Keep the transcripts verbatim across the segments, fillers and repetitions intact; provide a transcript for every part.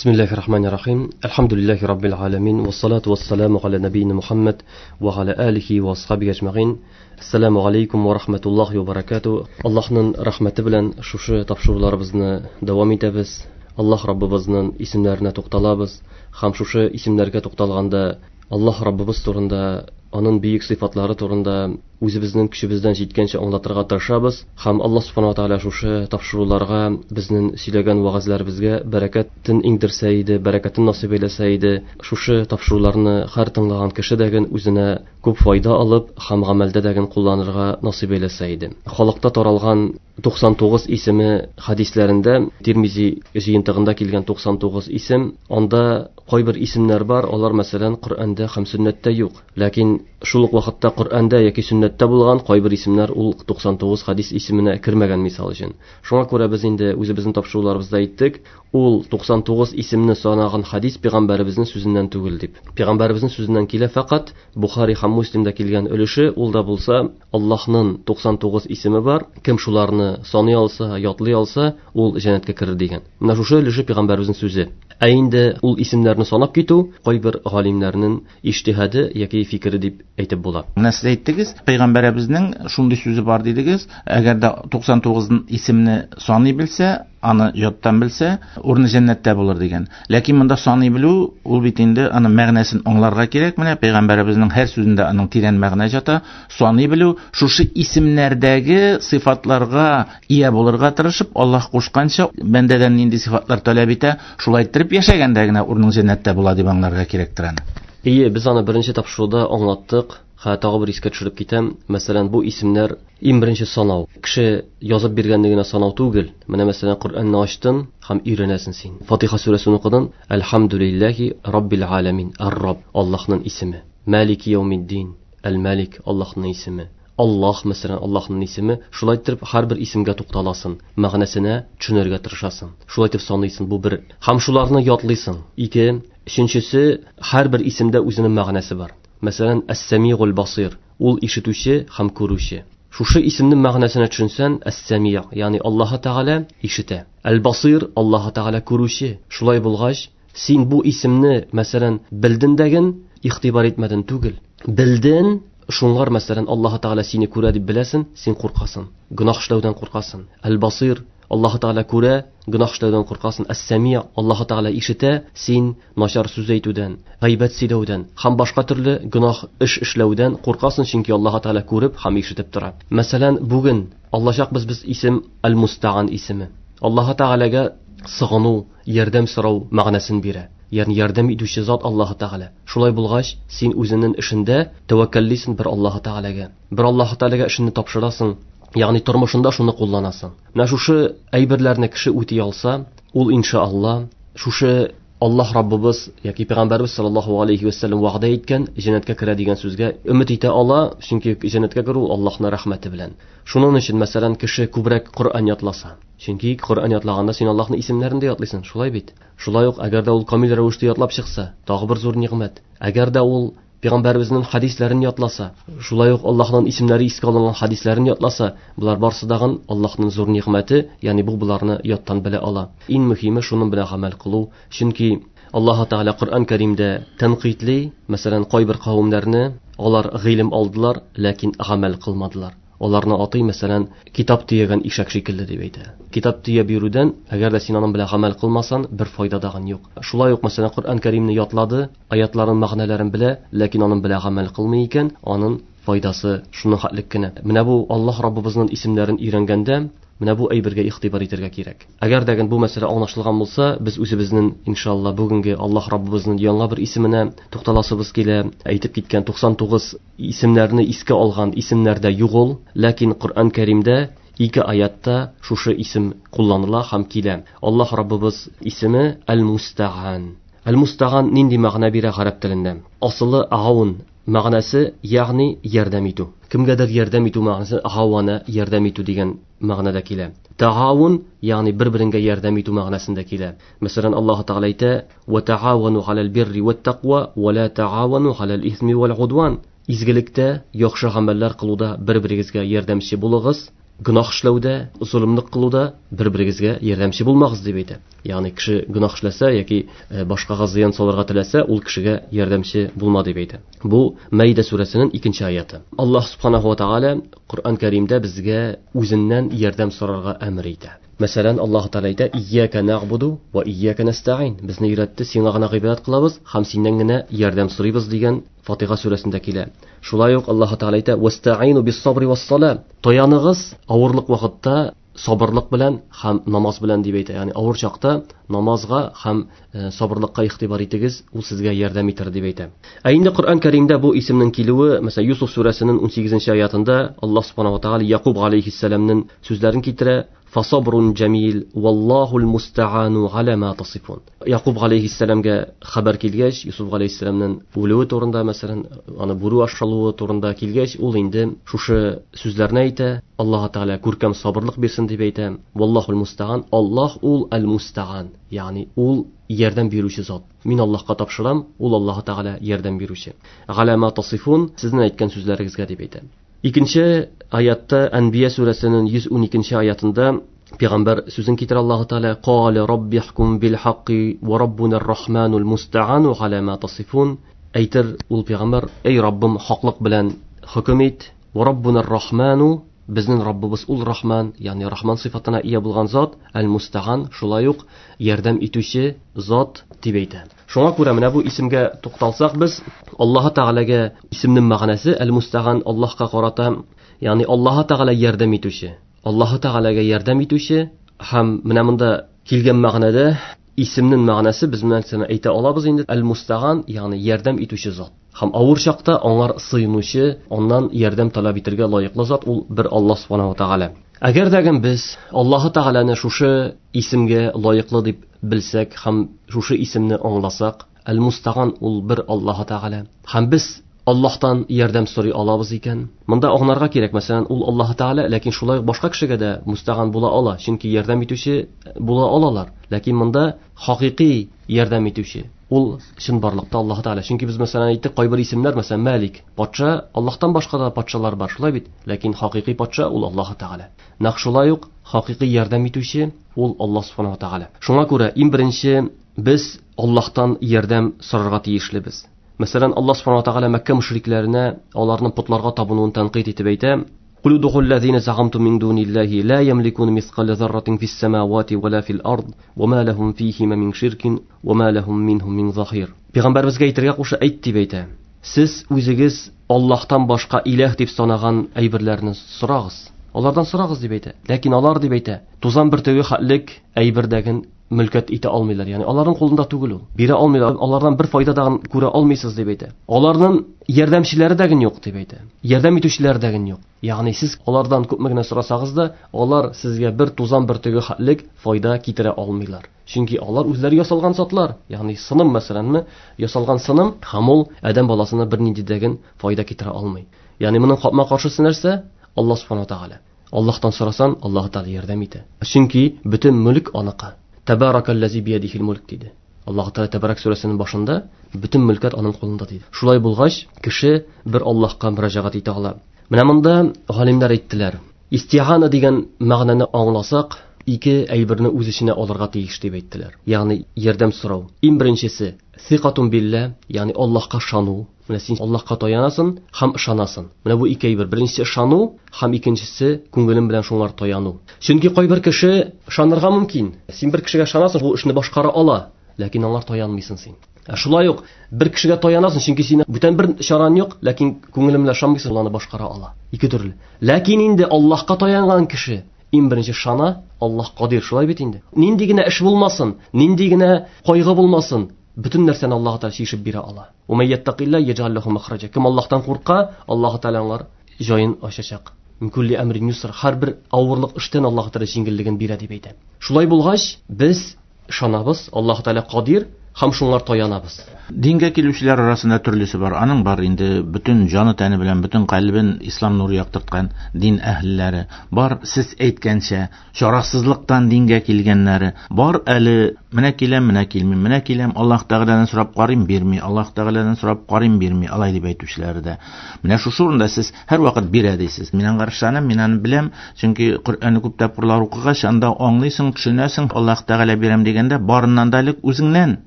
Бисмиллахир рахманир рахим. Әлхәмдүлилләһи раббил аламин. Вассалату вассаламу аля набийна Мухаммад ва аля алихи ва асхабихи ажмаин. Ассаламу алейкум ва рахматуллахи ва баракату. Аллаһның рәхмәте белән шушы тапшыруларыбызны дәвам итәбез. Аллаһ Раббыбызның исемнәренә тукталабыз һәм шушы исемнәргә тукталганда Аллаһ Раббыбыз турында, аның бөек сыйфатлары турында үзебезнең көчебездән җиткәнчә аңлатырга тырышабыз һәм Аллаһ субхана ва тааля шушы тапшыруларга, безнең сөйләгән вәгазьләребезгә бәрәкәтен иңдерсә иде, бәрәкәтен насыйп әйләсә иде. Шушы тапшыруларны һәр тыңлаган кеше дәген үзенә күп файда алып һәм гамәлдә дәген кулланырга насыйп әйләсә иде. Халыкта таралган туксан тугыз исеме хадисләрендә, Тирмизи җыентыгында килгән туксан тугыз исем, анда кайбер исемнәр бар, алар мәсәлән Коръәндә һәм сөннәттә юк. Ләкин шул ук вакытта Коръәндә яки сөннәттә булган кайбер исемнәр ул туксан тугыз хадис исеменә кермәгән мисал өчен. Шуңа күрә без инде үзебезнең тапшыруларыбызда әйттек, ул туксан тугыз исемне санаган хадис пәйгамбәребезнең сүзеннән түгел дип. Пәйгамбәребезнең сүзеннән килә фақат Бухари һәм Муслимда килгән өлеше, ул да булса Аллаһның туксан тугыз исеме бар, кем шуларны саный алса, ятлый алса, ул җәннәткә керер дигән. Менә шушы өлеше пәйгамбәребезнең сүзе. Ә инде ул исемнәрне санап китү кайбер галимнәрнең иҗтиһады яки фикере дип әйтеп була. Менә сез әйттегез, пәйгамбәребезнең шундый сүзе бар дидегез, әгәр дә туксан тугыз исемне саный белсә, аны яттан белсә, урыны җәннәттә булыр дигән. Ләкин монда саный белү, ул бит инде аның мәгънәсен аңларга кирәк. Менә пәйгамбәребезнең һәр сүзендә аның тирән мәгънә ята. Саный белү, шушы исемнәрдәге сыйфатларга ия булырга тырышып, Аллаһ кушканча бәндәдән нинди сыйфатлар таләп итә, шулай иттереп яшәгәндә генә урының җәннәттә була дип аңларга кирәктер аны. Ие, без аны беренче тапшыруда аңлаттык. Ха, тагы бер искә төшереп китәм. Мәсәлән, бу исемнәр иң беренче санау. Кеше язып биргәнне генә санау түгел. Менә мәсәлән, Коръәнне ачтың һәм өйрәнәсең син. Фатиха сүрәсен укыдың. Әлхәмдүлилләһи раббил аламин. Ар-Рабб, Аллаһның исеме. Малики яумиддин. Әл-Малик, Аллаһның исеме. Аллаһ, мәсәлән, Аллаһның исеме. Шулай итеп һәрбер исемгә тукталасың, мәгънәсенә төшенергә тырышасың. Шулай итеп саныйсың, бу бер. Һәм шуларны ятлыйсың. Ике, өченчесе, һәрбер исемдә үзенең мәгънәсе бар. Мәсәлән, Әс-Самигул Басир, ул ишетүче һәм күрүче. Шушы исемнең мәгънәсенә төшенсән, Әс-Сами, ягъни Аллаһ Тәгалә ишетә. Әл-Басир, Аллаһ Тәгалә күрүче. Шулай булгач, син бу исемне, мәсәлән, белден дәген, игътибар итмәден түгел. Белден, шуңар, мәсәлән, Аллаһ Тәгалә сине күрә дип беләсең, син куркасың. Гөнаһ эшләүдән куркасың. Әл-Басир, Аллаһ Тәгалә күрә, гөнаһ эшләүдән куркасың. Әс-Сами, Аллаһ Тәгалә ишетә, син начар сүз әйтүдән, гайбәт сөйләүдән һәм башка төрле гөнаһ эш эшләүдән куркасың, чөнки Аллаһ Тәгалә күреп һәм ишетеп тора. Мәсәлән, бүген аллачакбыз без исем Әл-Мустаан исеме. Аллаһ Тәгаләгә сыгыну, ярдәм сорау мәгънәсен бирә. Ягъни ярдәм итүче зат Аллаһ Тәгалә. Шулай булгач, син үзеңнең эшендә тәвәккәллисең бер Аллаһ Тәгаләгә. Бер Аллаһ Тәгаләгә эшеңне тапшырасың. Ягъни тормышында шуны кулланасың. Менә шушы әйберләрне кеше үти алса, ул иншаалла шушы Аллаһ Раббыбыз яки Пәйгамбәрбез саллаллаһу алейхи ва саллям вәгъдә иткән җәннәткә керә дигән сүзгә өмет итә ала, чөнки җәннәткә керү Аллаһның рәхмәте белән. Шуның өчен, мәсәлән, кеше күбрәк Коръән ятласа, чөнки Коръән ятлаганда син Аллаһның исемнәрен дә ятлыйсың, шулай бит? Шулай ук, әгәр дә ул камил рәвештә ятлап чыкса, тагы бер зур нигъмәт. Әгәр дә ул Пәйгамбәребезнең хадисләрен ятласа, шулай ук Аллаһның исемнәре искә алынган хадисләрен ятласа, булар барсы дагын Аллаһның зур нигъмәте, ягъни бу буларны яттан белә ала. Иң мөһиме шуның белән гамәл кылу, чөнки Аллаһ Тәгалә Коръән Кәримдә тәнкыйтьли, мәсәлән, кайбер кавемнәрне алар гыйлем алдылар, ләкин гамәл кылмадылар. Аларны атый, мәсәлән, китап төягән ишәк шикелле дип әйтә. Китап төяп йөрүдән, әгәр дә син аның белән гамәл кылмасаң, бер файда дагын юк. Шулай ук, мәсәлән, Коръән Кәримне ятлады, аятларын мәгънәләрен белә, ләкин аның белән гамәл кылмый икән, аның файдасы шуның хәтлек кенә. Менә бу Аллаһ Раббыбызның исемнәрен өйрәнгәндә, менә бу әйбергә игътибар итәргә кирәк. Әгәр дә бу мәсьәлә аңлашылган булса, без үзебезнең иншалла бүгенге Аллаһ Раббыбызның яңа бер исеменә тукталасыбыз килә. Әйтеп киткән туксан тугыз исемнәрне искә алган исемнәрдә юк ул, ләкин Коръән Кәримдә ике аятта шушы исем кулланыла һәм килә. Аллаһ Раббыбыз исеме Әл-Мустаан. Әл-Мустаан нинди мәгънә бирә гарәп телендә? Асылы аун мәгънәсе, ягъни ярдәм итү. Кемгәдер ярдәм итү мәгънәсе гавана ярдәм итү дигән мәгънәдә килә. Таавун, ягъни бер-береңгә ярдәм итү мәгънәсендә килә. Мәсәлән, Аллаһ Тәгалә әйтә: "Ва таавану галал бирри ват тaqwa ва ла таавану галал исми вал удван". Изгелектә, яхшы гамәлләр кылуда бер-берегезгә ярдәмче булыгыз, Гөнаһ эшләүдә, золымлык кылуда бер-берегезгә ярдәмче булмагыз дип әйтә. Ягъни кеше гөнаһ эшләсә яки башкага зыян салырга теләсә, ул кешегә ярдәмче булма дип әйтә. Бу Мәйдә сүрәсенең икенче аяты. Аллаһ субханаһу ва тааля Коръән Кәримдә безгә үзеннән ярдәм сорарга әмер итә. Мәсәлән, Аллаһ Тәгалә әйтә: "Ияка нагъбуду ва ияка настаин." Безне өйрәтте, сиңа гына гыйбадәт кылабыз һәм синнән генә ярдәм сорыйбыз дигән Фатиха сүрәсендә килә. Шулай ук Аллаһ Тәгалә әйтә: "Вастаину бис-сабри вас-сала." Таяныгыз авырлык вакытта сабырлык белән һәм намаз белән дип әйтә. Ягъни авыр чакта намазга һәм сабырлыкка игътибар итегез, ул сезгә ярдәм итәр дип әйтә. Ә инде Коръән Кәримдә бу исемнең килүе, мәсәлән, Юсуф сүрәсенең унсигезенче аятында Аллаһ субханаһу ва тааля Якуб алейхиссәламнең сүзләрен китерә: "Фасабрун джамил, валлахул мустаану аля ма тасифун." Якуб алейхиссәламгә хәбәр килгәч, Юсуф алейхиссәламнең үлүе турында, мәсәлән, аны бүре ашалуы турында килгәч, ул инде шушы сүзләрне әйтә: Аллаһ Тәгалә күркәм сабырлык бирсен дип әйтә. Валлахул мустаан, Аллаһ ул әл-мустаан, ягъни ул ярдәм бирүче зат. Мин Аллаһка тапшырам, ул Аллаһ Тәгалә ярдәм бирүче. Аля ма тасифун, сезнең әйткән сүзләрегезгә дип әйтә. Икенче аятта Әнбия сүрәсенең йөз уникенче аятында Пәйгамбәр сүзен китерә Аллаһ Тәгалә: "Кале раббихкум бил хакки ва раббунар рахманул мустаану аля ма тасифун." Әйтер ул пәйгамбәр: "Эй Раббым, хаклык белән хөкем ит. Ва раббунар рахману, безнең Раббыбыз ул Рахман, ягъни Рахман сыйфатына ия булган зат, әл-Мустаан, шулай ук ярдәм итүче зат дип әйтә. Шуңа күрә менә бу исемгә тукталсак без, Аллаһ Тәгаләгә исемнең мәгънәсе әл-Мустаан Аллаһка карата, ягъни Аллаһ Тәгалә ярдәм итүче, Аллаһ Тәгаләгә ярдәм итүче һәм менә монда килгән мәгънәдә исемнең мәгънәсе без менә әйтә алабыз инде әл-Мустаан, ягъни ярдәм итүче зат. Һәм авыр чакта аңар сыйынучы, аннан ярдәм таләп итәргә лаеклы зат ул бер Аллаһ субханаһу ва тааля. Әгәр дә без Аллаһ Тәгаләне шушы исемгә лаеклы дип белсәк һәм шушы исемне аңласак, әл-Мустаан ул бер Аллаһ Тәгалә. Һәм без Аллаһтан ярдәм сорый алабыз икән. Монда аңларга кирәк, мәсәлән, ул Аллаһ Тәгалә, ләкин шулай ук башка кешегә дә мустаган була ала, чөнки ярдәм итүче була алалар. Ләкин монда хакыйкый ярдәм итүче ул чынбарлыкта Аллаһ Тәгалә. Чөнки без мәсәлән әйттек, кайбер исемнәр, мәсәлән, Мәлик, патша, Аллаһтан башка да патшалар бар, шулай бит? Ләкин хакыйкый патша ул Аллаһ Тәгалә. Нәкъ шулай ук хакыйкый ярдәм итүче ул Аллаһ субханаһу ва тааля. Шуңа күрә иң беренче без Аллаһтан ярдәм сорарга тиешлебез. Мәсәлән, Аллаһ субханаһу ва тааля Мәккә мөшрикләренә аларның потларга табынуын тәнкыйть итеп әйтә: "Кул удхул лазина загамтум мин дуниллаһи ла ямликун мисқала зарратин фис самавати ва ла фил ард ва ма лахум фихима мин ширкин ва ма лахум минхум мин захир." Пәйгамбәребезгә әйтергә куша, әйт дип әйтә: Сез үзегез Аллаһтан башка иләһ дип санаган әйберләрне сорагыз. Алардан сорагыз дип әйтә. Ләкин алар дип әйтә, тузан бөртеге хәтлек әйбердәген мөлкәт итә алмыйлар. Ягъни аларның кулында түгел ул. Бирә алмыйлар, алардан бер файда да күрә алмыйсыз дип әйтә. Аларның ярдәмчеләре дә юк дип әйтә. Ярдәм итүчеләре дә юк. Ягъни сез алардан күпме генә сорасагыз да, алар сезгә бер тузан бөртеге хәтлек файда китерә алмыйлар. Чөнки алар үзләре ясалган затлар. Ягъни сыным мәсәләнме, ясалган сыным һәм ул адәм баласына бернинди дә файда китерә алмый. Ягъни моның капма-каршысы нәрсә? Аллаһ субханаһу ва тааля. Аллаһтан сорасан, Аллаһ Тааля ярдәм итә. Чөнки бөтен мөлк аныкы. Табаракаллази биядихил мөлк диде. Аллаһ Тааля Табарак сүрәсенең башында бөтен мөлкәт аның кулында диде. Шулай булгач, кеше бер Аллаһка мөрәҗәгать итә ала. Менә монда галимнәр әйттеләр. Истиана дигән мәгънәне аңласак, ике әйберне үз эченә алырга тиеш дип әйттеләр. Ягъни ярдәм сорау. Иң беренчесе сиқатун билла, ягъни Аллаһка ышану. Менә син Аллаһка таянасың һәм ышанасың. Менә бу ике әйбер. Беренчесе ышану һәм икенчесе күңелең белән шуңар таяну. Чөнки кайбер кеше ышанырга мөмкин. Син бер кешегә ышанасың, бу эшне башкара ала, ләкин аңар таянмыйсың син. Ә шулай ук бер кешегә таянасың, чөнки синең бүтән бер чараң юк, ләкин күңелең белән ышанмыйсың, ул аны башкара ала. Ике төрле. Ләкин инде Аллаһка таянган кеше иң беренче ышана, Аллаһ кадир, шулай бит инде. Нинди генә эш булмасын, нинди генә кайгы булмасын, бөтен нәрсәне Аллаһ Тәгалә чишеп бирә ала. Ва ман яттакилла яҗал лаху махраҗа. Кем Аллаһтан курка, Аллаһ Тәгалә аңар җаен ачачак. Мин кулли әмрин юср, һәрбер авырлык эштән Аллаһ Тәгалә җиңеллеген бирә дип әйтә. Шулай булгач, без ышанабыз, Аллаһ Тәгалә кадир һәм шуңар таянабыз. Дингә килүчеләр арасында төрлесе бар. Аның бар инде бөтен җаны тәне белән бөтен калбен ислам нуры яктырткан дин әһелләре бар, сез әйткәнчә чарасызлыктан дингә килгәннәре бар. Әле менә киләм, менә килмим, менә киләм, Аллаһ Тәгаләдән сорап карыйм, бирми, Аллаһ Тәгаләдән сорап карыйм, бирми, алай дип әйтүчеләре дә. Менә шушы урында сез һәрвакыт бирә дисез. Мин аңа ышанам, мин аны беләм, чөнки Коръәнне күп тапкырлар укыгач, анда аңлыйсың, төшенәсең, Аллаһ Тәгалә бирәм дигәндә барыннан да элек үзеңнән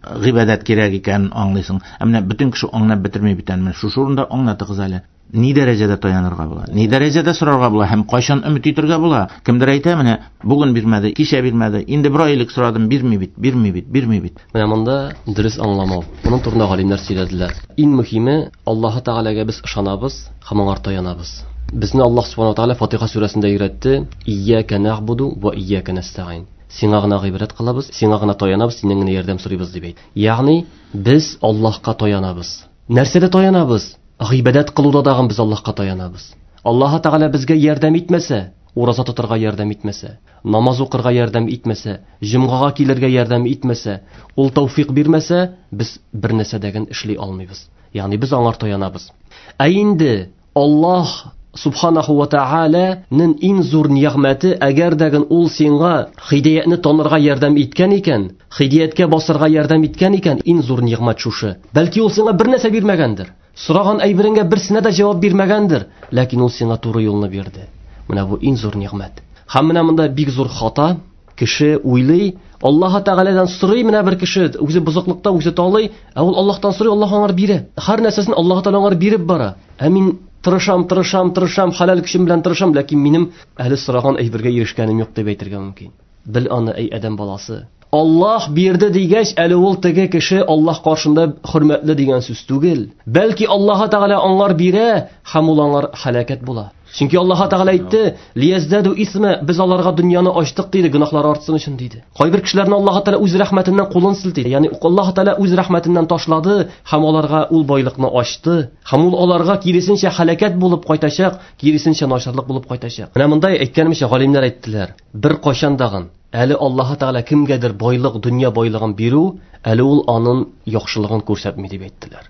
гыйбадәт кирәк икәнен аңлыйсың. Ә менә бөтен кеше аңлап бетерми бит әле. Менә шушы урында аңлатыгыз әле. Ни дәрәҗәдә таянырга була? Ни дәрәҗәдә сорарга була һәм кайчан өмет итәргә була? Кемдер әйтә, менә бүген бирмәде, кичә бирмәде, инде бер ай элек сорадым, бирми бит, бирми бит, бирми бит. Менә монда дөрес аңламау. Моның турында галимнәр сөйләделәр. Иң мөһиме, Аллаһ Тәгаләгә без ышанабыз һәм аңа таянабыз. Безне Аллаһ Субхану ва Тәгалә Фатиха сүрәсендә өйрәтте: "Ияка нәгъбуду ва ияка нәстәгыйн." Сиңа гына гыйбадәт кылабыз, сиңа гына таянабыз, синнән генә ярдәм сорыйбыз дип әйт. Ягъни без Аллаһка таянабыз. Нәрсәдә таянабыз? Гыйбадәт кылуда дагы без Аллаһка таянабыз. Аллаһ Тәгалә безгә ярдәм итмәсә, ураза тотарга ярдәм итмәсә, намаз укырга ярдәм итмәсә, җомгага килергә ярдәм итмәсә, ул тәүфик бирмәсә, без бер нәрсә дә эшли алмыйбыз. Ягъни без аңар таянабыз. Ә инде Аллаһ Субханаху ва Тааляның иң зур нигъмәте, әгәр дә ул сиңа һидәятне танырга ярдәм иткән икән, һидәяткә басырга ярдәм иткән икән, иң зур нигъмәт шушы. Бәлки ул сиңа бер нәрсә бирмәгәндер, сораган әйбереңгә берсенә дә җавап бирмәгәндер, ләкин ул сиңа туры юлны бирде. Менә бу иң зур нигъмәт. Һәм менә монда бик зур хата. Кеше уйлый, Аллаһ Тәгаләдән сорый, менә бер кеше үзе бозыклыкта, үзе талый, ә ул Аллаһтан сорый, Аллаһ аңар бирә. Һәр нәрсәсен Аллаһ Тәгалә аңар биреп бара. Ә мин тырышам, тырышам, тырышам, хәләл көчем белән тырышам, ләкин минем әле сораган әйбергә ирешкәнем юк дип әйтергә мөмкин. Бел аны, әй адәм баласы. Аллаһ бирде дигәч, әле ул теге кеше Аллаһ каршында хөрмәтле дигән сүз түгел. Бәлки Аллаһ Тәгалә аңар бирә һәм ул аңар һәлакәт була. Чөнки Аллаһ Тәгалә әйтте: "Лияздәду исма", без аларга дөньяны ачтык диде, гөнаһлары артсын өчен диде. Кайбер кешеләрне Аллаһ Тәгалә үз рәхмәтеннән кулын селтеде. Ягъни Аллаһ Тәгалә үз рәхмәтеннән ташлады һәм аларга ул байлыкны ачты. Һәм ул аларга киресенчә һәлакәт булып кайтачак, киресенчә начарлык булып кайтачак. Менә монда әйткәнемчә галимнәр әйттеләр: бер кайчан дагын әле Аллаһ Тәгалә кемгәдер байлык, дөнья байлыгын бирү, әле ул аның яхшылыгын күрсәтми дип әйттеләр.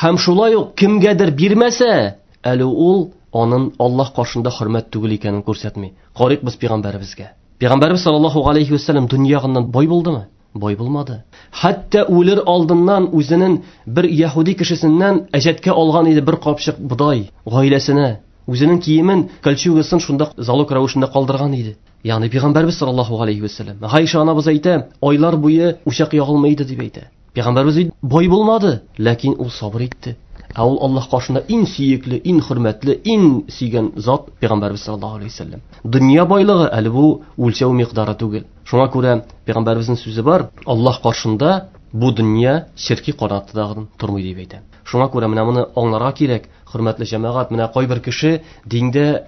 Һәм шулай ук кемгәдер бирмәсә, әле ул аның Аллаһ каршында хөрмәт түгел икәнен күрсәтми. Карыйк без пәйгамбәребезгә. Пәйгамбәребез саллаллаһу алейхи ва саллям дөньягыннан бай булдымы? Бай булмады. Хәтта үлер алдыннан үзенең бер яһүди кешесеннән әҗәткә алган иде бер капчык бодай гаиләсенә. Үзенең киемен, кольчугасын шунда залог рәвешендә калдырган иде. Ягъни пәйгамбәребез саллаллаһу алейхи ва саллям. Гайша анабыз әйтә, айлар буе учак ягылмый иде дип әйтә. Пәйгамбәребез бай булмады, ләкин ул сабыр итте. Ә ул Аллаһ каршында иң сөекле, иң хөрмәтле, иң сөйгән зат пәйгамбәребез саллаллаһу алейхи ва саллям. Дөнья байлыгы әле бу үлчәү микъдары түгел. Шуңа күрә пәйгамбәребезнең сүзе бар, Аллаһ каршында бу дөнья черки канатыдан тормый дип әйтә. Шуңа күрә менә моны аңларга кирәк, хөрмәтле җәмәгать. Менә кайбер кеше диндә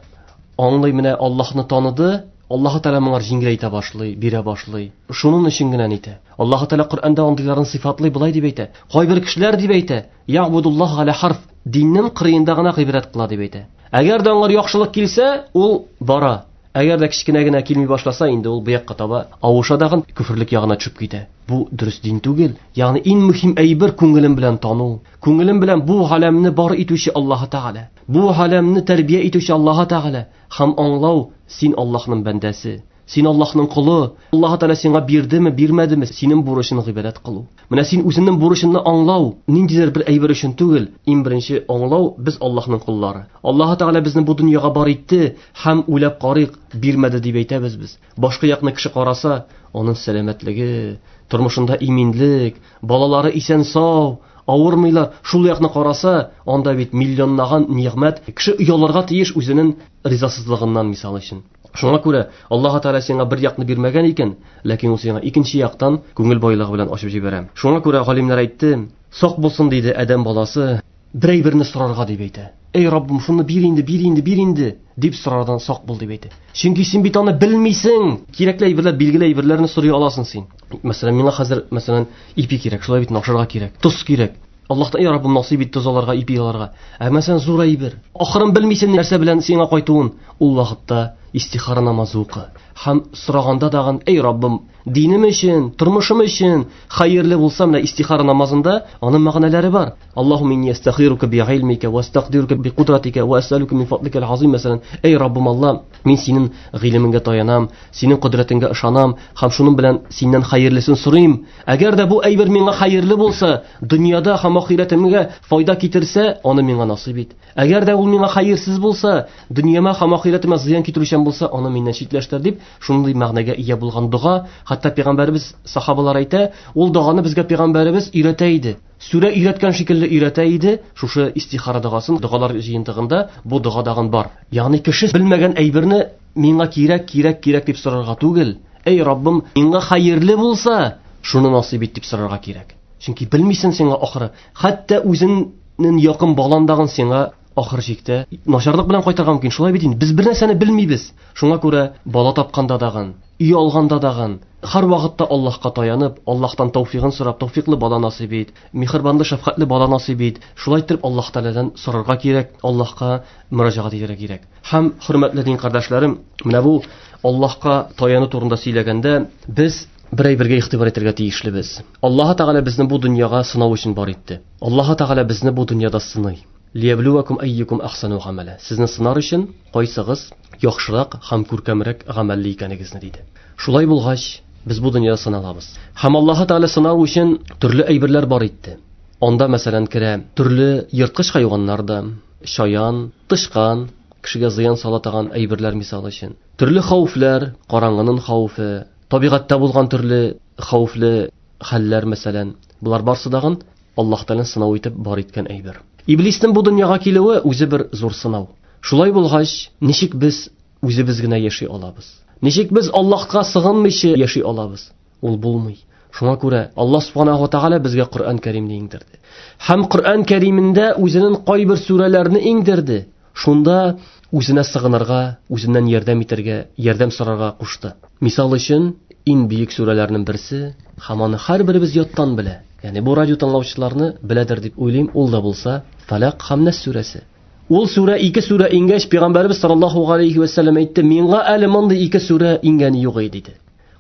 аңлый, менә Аллаһны таныды, Аллаһ Тәгалә моңар җиңеләйтә башлый, бирә башлый. Шуның өчен генә әйтә. Аллаһ Тәгалә Коръәндә андыйларын сыйфатлый болай дип әйтә. Кайбер кешеләр дип әйтә, "Ягъбудуллаһ галя харф", диннең кырыенда гына гыйбадәт кыла дип әйтә. Әгәр дә аңар яхшылык килсә, ул бара. Әгәр дә кечкенә генә килми башласа, инде ул бу якка таба авыша дагын күферлек ягына төшеп китә. Бу дөрес дин түгел. Ягъни иң мөһим әйбер күңелем белән тану. Күңелем белән бу галәмне бар итүче Аллаһ Тәгалә. Бу галәмне тәрбия итүче Аллаһ Тәгалә. Һәм аңлау, син Аллаһның бәндәсе, син Аллаһның колы. Аллаһ Тәгалә сиңа бирдеме, бирмәдеме, синең бурычың гыйбадәт кылу. Менә син үзеңнең бурычыңны аңлау, ниндидер бер әйбер өчен түгел, иң беренче аңлау, без Аллаһның коллары. Аллаһ Тәгалә безне бу дөньяга бар итте һәм уйлап карыйк, бирмәде дип әйтәбез без. Башка якны кеше караса, аның сәламәтлеге, тормышында иминлек, балалары исән-сау, авырмыйлар. Шул якны караса, анда бит миллионлаган нигъмәт. Кеше оялырга тиеш үзенең ризасызлыгыннан, мисал өчен. Шуңа күрә Аллаһ Тәгалә сиңа бер якны бирмәгән икән, ләкин ул сиңа икенче яктан күңел байлыгы белән ачып җибәрә. Шуңа күрә галимнәр әйтте, сак булсын диде адәм баласы, бер әйберне сорарга дип әйтә. Эй Раббым, шуны бир инде, бир инде, бир инде дип сорардан сак бул дип әйтә. Чөнки син бит аны белмисең. Кирәкле әйберләр, билгеле әйберләрне сорый аласың син. Мәсәлән, миңа хәзер, мәсәлән, ипи кирәк, шулай бит, ашарга кирәк, тоз кирәк. Аллаһтан, я Раббым, насыйп ит тоз аларга, ипи аларга. Ә мәсәлән, зур әйбер. Ахырын белмисең нәрсә белән сиңа кайтуын. Ул вакытта Истихара намазы укы. Һәм сораганда дагын, эй Раббым, динем өчен, тормышым өчен хәерле булса, менә истихара намазында аның мәгънәләре бар. Аллаһумма инни астагфирука би илмика ва астагдирука би кудратика ва асалука мин фадлика азим. Мәсәлән, эй Раббым Алла, мин синең гыйлемеңгә таянам, синең кодрәтеңгә ышанам һәм шуның белән синнән хәерлесен сорыйм. Әгәр дә бу әйбер миңа хәерле булса, дөньяда һәм ахирәтемгә файда китерсә, аны миңа насыйп ит. Әгәр дә ул миңа хәерсез булса, дөньяма һәм ахирәтемә зыян китерүчән булса, аны миннән читләштер дип, шундый мәгънәгә ия булган дога. Хәтта пәйгамбәребез сахабалар әйтә, ул доганы безгә пәйгамбәребез өйрәтә иде. Сүрә өйрәткән шикелле өйрәтә иде. Шушы истихара догасын, догалар җыентыгында бу дога дагын бар. Ягъни кеше белмәгән әйберне миңа кирәк, кирәк, кирәк дип сорарга түгел. Эй Раббым, миңа хәерле булса, шуны насыйп ит дип сорарга кирәк. Чөнки белмисең сиңа ахыры. Хәтта үзеңнең якын баландагын сиңа ахыр чиктә начарлык белән кайтырга мөмкин. Шулай бит инде. Без бер нәрсәне белмибез. Шуңа күрә бала тапканда дагын, өй алганда дагын, һәр вакытта Аллаһка таянып, Аллаһтан тәүфигын сорап, тәүфиклы бала насыйп ит, миһербанлы, шәфкатьле бала насыйп ит. Шулай итеп Аллаһ Тәгаләдән сорарга кирәк, Аллаһка мөрәҗәгать итәргә кирәк. Һәм хөрмәтле дин кардәшләрем, менә бу Аллаһка таяну турында сөйләгәндә без бер әйбергә игътибар итәргә тиешлебез. Аллаһ Тәгалә безне бу дөньяга сынау өчен бар итте. Аллаһ Тәгалә безне бу дөньяда сыный. Лиябluwakum ayyukum ahsanu amala. Сезне сынар өчен кайсыгыз яхшырак һәм күркәмрәк гамәлле икәнегезне диде. Шулай булгач, без бу дөньяда сыналабыз. Һәм Аллаһ Тәгалә сынау өчен төрле әйберләр бар итте. Анда мәсәлән керә төрле ерткыч хайваннар да, шаян, тышкан, кешегә зыян сала торган әйберләр мисал өчен. Төрле хәвефләр, караңгының хәвефе, табигатьтә булган төрле хәвефле хәлләр мәсәлән. Булар барсы дагын Аллаһ Тәгалә сынау итеп бар иткән әйбер. Иблиснең бу дөньяга килүе үзе бер зур сынау. Шулай булгач, ничек без үзебез генә яши алабыз? Ничек без Аллаһка сыгынмыйча яши алабыз? Ул булмый. Шуңа күрә Аллаһ субханаһу ва тааля безгә Коръән Кәримне иңдерде. Һәм Коръән Кәримендә үзенең кайбер сүрәләрне иңдерде. Шунда үзенә сыгынырга, үзеннән ярдәм итәргә, ярдәм сорарга кушты. Мисал өчен, иң бөек сүрәләрнең берсе, һәм аны һәрберебез яттан белә. Ягъни бу радио тыңлаучыларны беләдер дип уйлыйм, ул да булса Фалак һәм Нас сүрәсе. Ул сүрә ике сүрә иңгәч, Пәйгамбәребез саллаллаһу алейхи ва саллям әйтте, миңа әле мондый ике сүрә иңгәне юк иде диде.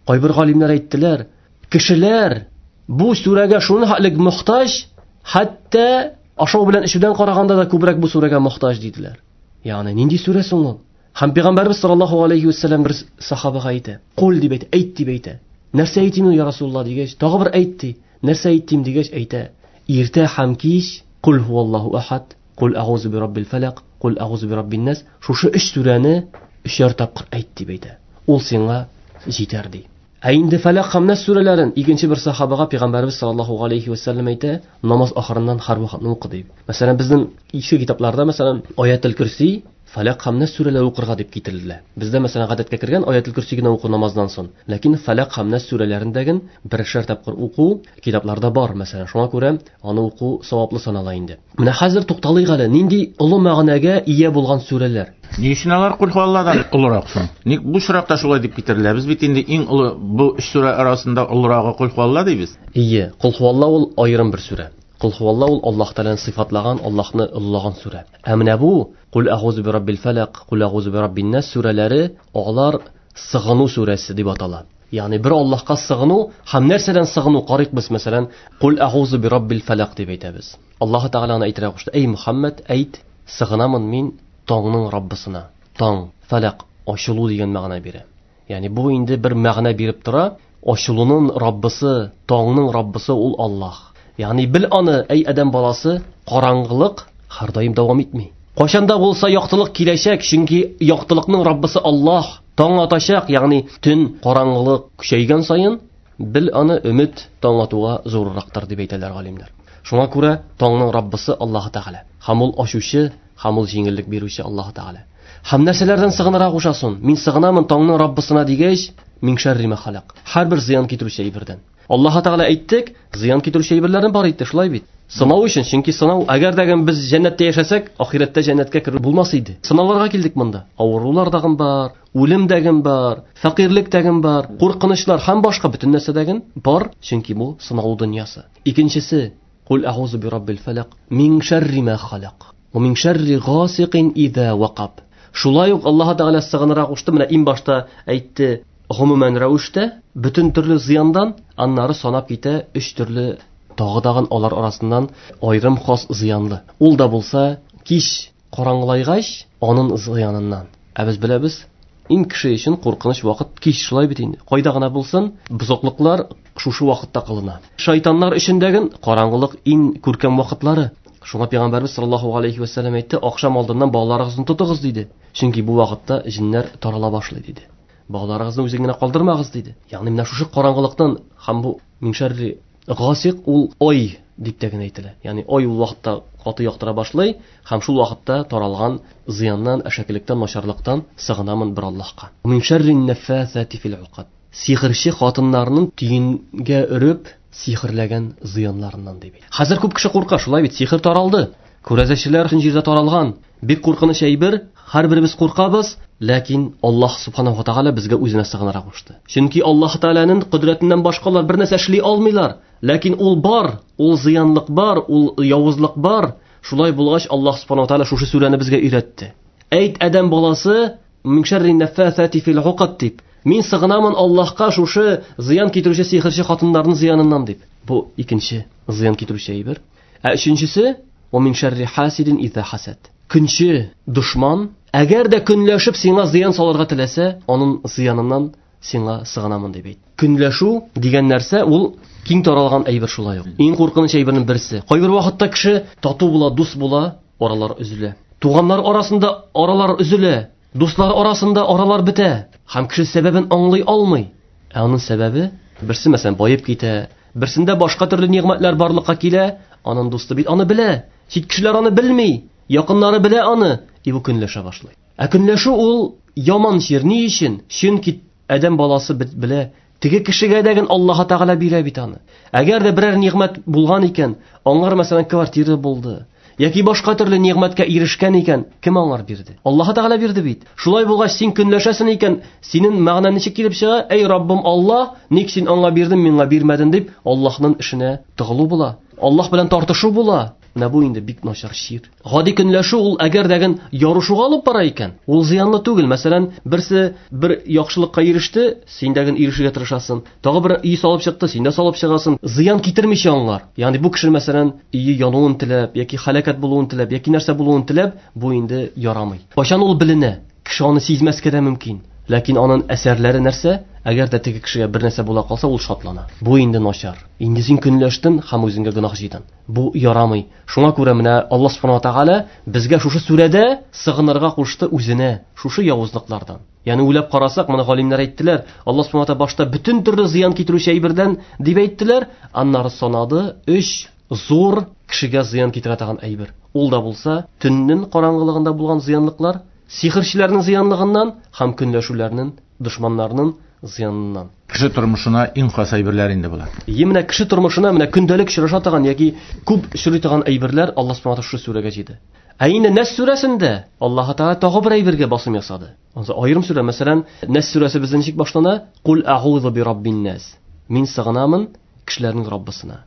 Кайбер галимнәр әйттеләр, кешеләр бу сүрәгә шуның хәтлек мохтаҗ, хәтта ашау белән эчүдән караганда да күбрәк бу сүрәгә мохтаҗ диделәр. Ягъни нинди сүрә соң ул? Һәм Пәйгамбәребез саллаллаһу алейхи ва саллям бер сахабага әйтә, кул дип әйтә, әйт дип әйтә. Нәрсә әйтим, я Расулуллаһ дигәч, тагы бер әйт ди. Нәрсә әйтим дигәч әйтә, иртә һәм кич кул хуаллаһу ахад, кул агузу би раббил фалак, кул агузу би раббин нас. Шушы өч сүрәне өчәр тапкыр әйт дип әйтә. Ул сиңа җитәр ди. Ә инде Фалак һәм Нас сүрәләрен икенче бер сахабага Пәйгамбәребез саллаллаһу алейхи ва саллям әйтә, намаз ахырыннан һәр вакытны укы дип. Мәсәлән, безнең иске китапларда, мәсәлән, Аятул Курси, Фалак һәм Нас сүрәләре укырга дип китерелә. Бездә мәсәлән гадәткә кергән Аятул Курси генә уку намаздан соң. Ләкин Фалак һәм Нас сүрәләрендәген бершәр тапкыр уку китапларда бар, мәсәлән. Шуңа күрә аны уку саваплы санала инде. Менә хәзер тукталыйк әле, нинди олы мәгънәгә ия булган сүрәләр. Ни өчен алар Кул хуалладан олырак соң? Ник бу очракта шулай дип китерелә? Без бит инде иң олы бу өч сүрә арасында олырагы Кул хуалла дибез. Ие, Кул хуалла ул аерым бер сүрә. Кул хуалла ул Аллаһ Тәгаләне сыйфатлаган, Аллаһны олылаган сүрә. Ә менә бу Кул агузу би раббил фалак, Кул агузу би раббин нас сүрәләре алар сыгыну сүрәсе дип атала. Ягъни бер Аллаһка сыгыну һәм нәрсәдән сыгыну карыйк без, мәсәлән, Кул агузу би раббил фалак дип әйтәбез. Аллаһ Тәгалә аны әйтергә кушты. Эй Мухаммад, әйт, сыгынамын мин таңның Раббысына. Таң, фалак, ачылу дигән мәгънә бирә. Ягъни бу инде бер мәгънә биреп тора. Ачылуның Раббысы, таңның Раббысы ул Аллаһ. Ягъни бил аны, эй адәм баласы, караңгылык һәрдаим дәвам итми. Кайчанда булса яктылык киләчәк, чөнки яктылыкның Раббысы Аллаһ. Таң атачак, ягъни төн караңгылык көчәйгән саен, бил аны өмет таң атуга зуррактыр дип әйтәләр галимнәр. Шуңа күрә таңның Раббысы Аллаһ Тәгалә. Һәм ул ачучы, һәм ул җиңеллек бирүче Аллаһ Тәгалә. Һәм нәрсәләрдән сыгынырга кушасын? Мин сыгынамын таңның Раббысына дигәч, мин шәрри ма халак. Һәрбер зыян китерүче әйбердән. Аллаһ Тәгалә әйттек, зыян китерүче әйберләрне бар итте, шулай бит. Сынау өчен, чөнки сынау, әгәр дә без җәннәттә яшәсәк, ахирәттә җәннәткә керү булмас иде. Сынауларга килдек монда. Авырулар дагын бар, үлем дәген бар, фәкыйрьлек дәген бар, куркынычлар һәм башка бөтен нәрсә дәген бар, чөнки бу сынау дөньясы. Икенчесе, Кул агузу би раббил фалак мин шәрри ма халак ва мин шәрри гасикин иза вакаб. Шулай ук Аллаһ Тәгалә сыгынырга кушты. Менә иң башта әйтте, гомумән рәвештә бөтен төрле зыяндан, аннары санап китә өч төрле тагы тагын алар арасыннан аерым хас зыянлы. Ул да булса кич караңгылайгач, аның зыяныннан. Ә без беләбез, иң кеше өчен куркыныч вакыт кич, шулай бит инде. Кайда гына булсын, бозыклыклар шушы вакытта кылына. Шайтаннар өчен дәген караңгылык иң күркәм вакытлары. Шуңа Пәйгамбәрбез саллаллаһу алейхи ва сәлләм әйтте, акшам алдыннан балаларыгызны тотыгыз диде. Чөнки бу вакытта җиннәр тарала башлый диде. Балаларыгызны үзең генә калдырмагыз диде. Ягъни менә шушы караңгылыктан һәм бу мин шәрри гасиқ ул ай дип тә генә әйтелә. Ягъни ай ул вакытта каты яктыра башлый һәм шул вакытта таралган зыяннан, әшәкелектән, начарлыктан сыгынамын бер Аллаһка. Мин шәррин наффасати фил уқад. Сихерче хатыннарның тиенгә өреп сихерләгән зыяннарыннан дип. Хәзер күп кеше курка, шулай бит, сихер таралды. Күрәзәчеләр җирдә таралган. Бик куркыныч әйбер, һәрберебез куркабыз, ләкин Аллаһ субханаһу ва тааля безгә үзенә сыгынырга кушты. Чөнки Аллаһ Тааляның кодрәтеннән башкалар бер нәрсә эшли алмыйлар. Ләкин ул бар, ул зыянлык бар, ул явызлык бар. Шулай булгач Аллаһ субханаһу ва тааля шушы сүрәне безгә өйрәтте. Әйт адәм баласы, мин шәрри наффасати фил уқад дип. Мин сыгынамын Аллаһка шушы зыян китерүче сихерче хатыннарның зыяныннан дип. Бу икенче зыян китерүче әйбер. Ә өченчесе, ва мин шәрри хасидин иза хасад. Көнче дошман, әгәр дә көнләшеп сиңа зыян салырга теләсә, аның зыяныннан сиңа сыгынамын дип әйт. Көнләшү дигән нәрсә ул киң таралган әйбер шулай ук. Иң куркыныч әйбернең берсе. Кайбер вакытта кеше тату була, дус була, аралар өзелә. Туганнар арасында аралар өзелә, дуслар арасында аралар бетә. Һәм кеше сәбәбен аңлый алмый. Ә аның сәбәбе, берсе мәсәлән баеп китә, берсендә башка төрле нигъмәтләр барлыкка килә, аның дусты бит аны белә. Чит кешеләр аны белми, якыннары белә аны, и бу көнләшә башлый. Ә көнләшү ул яман чир. Ни өчен? Чөнки адәм баласы белә, теге кешегә дәген Аллаһ Тәгалә бирә бит аны. Әгәр дә берәр нигъмәт булган икән, аңар мәсәлән квартира булды, яки башка төрле нигъмәткә ирешкән икән, кем аңар бирде? Аллаһ Тәгалә бирде бит. Шулай булгач, син көнләшәсең икән, синең мәгънәң ничек килеп чыга? Эй Раббым Аллаһ, ник син аңа бирдең, миңа бирмәдең дип, Аллаһның эшенә тыгылу була. Аллаһ белән тартышу була. Менә бу инде бик начар чир. Гади көнләшү ул әгәр дәген ярышуга алып бара икән, ул зыянлы түгел. Мәсәлән, берсе бер яхшылыкка иреште, син дәген ирешергә тырышасың. Тагы бер өй салып чыкты, син дә салып чыгасың. Зыян китермичә аңлар. Ягъни бу кеше мәсәлән өе януын теләп, яки һәлакәт булуын теләп, яки нәрсә булуын теләп, бу инде ярамый. Кайчан ул беленә, кеше аны сизмәскә дә мөмкин. Ләкин аның әсәрләре нәрсә? Әгәр дә теге кешегә бер нәрсә була калса, ул шатлана. Бу инде начар. Инде син көнләштең һәм үзеңгә гөнаһ җыйдың. Бу ярамый. Шуңа күрә менә Аллаһ субханаһу ва тааля безгә шушы сүрәдә сыгынырга кушты үзенә, шушы явызлыклардан. Ягъни уйлап карасак, моны галимнәр әйттеләр, Аллаһ субханаһу ва тааля башта бөтен төрле зыян китерүче әйбердән дип әйттеләр, аннары санады өч зур кешегә зыян китерә торган әйбер. Ул да булса төннең караңгылыгында булган зыянлыклар, сихерчеләрнең зыянлыгыннан һәм көнләшүләрнең, дошманнарның зыяныннан. Кеше тормышына иң хас әйберләр инде булар. Е, менә кеше тормышына менә көндәлек очраша торган яки күп очрый торган әйберләр Аллаһ субханаһу ва тааля шушы сүрәгә җыйды. Ә инде Нас сүрәсендә Аллаһ Тааля тагы бер әйбергә басым ясады. Ансы аерым сүрә, мәсәлән, Нас сүрәсе бездә ничек башлана? Кул а'узу би раббин нас. Мин сыгынамын кешеләрнең Раббысына.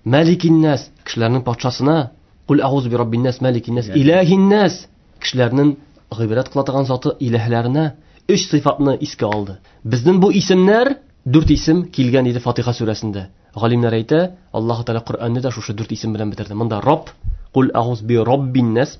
Маликин нас, кешеләрнең патшасына. Кул а'узу би раббин нас, маликин нас, илаһин нас, кешеләрнең гыйбадәт кыла торган заты илаһларына. Өч сыйфатны искә алды. Безнең бу исемнәр дүрт исем килгән иде Фатиха сүрәсендә. Галимнәр әйтә, Аллаһ Тааля Коръәнне дә шушы дүрт исем белән бетерде. Монда Рабб, кул а'уз би раббин нас,